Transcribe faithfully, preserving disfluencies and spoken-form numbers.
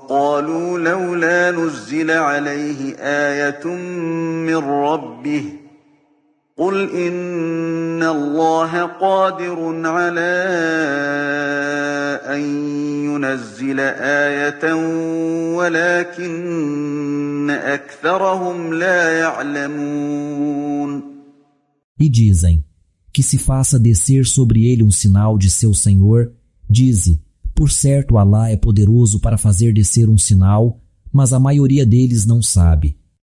وقالوا لولا نزل عليه آية من ربه قل إن الله قادر على أن ينزل آية ولكن أكثرهم لا يعلمون. E dizem, que se faça descer sobre ele um sinal de seu Senhor, dize, por certo Alá é poderoso para fazer descer um sinal, mas a maioria deles não sabe.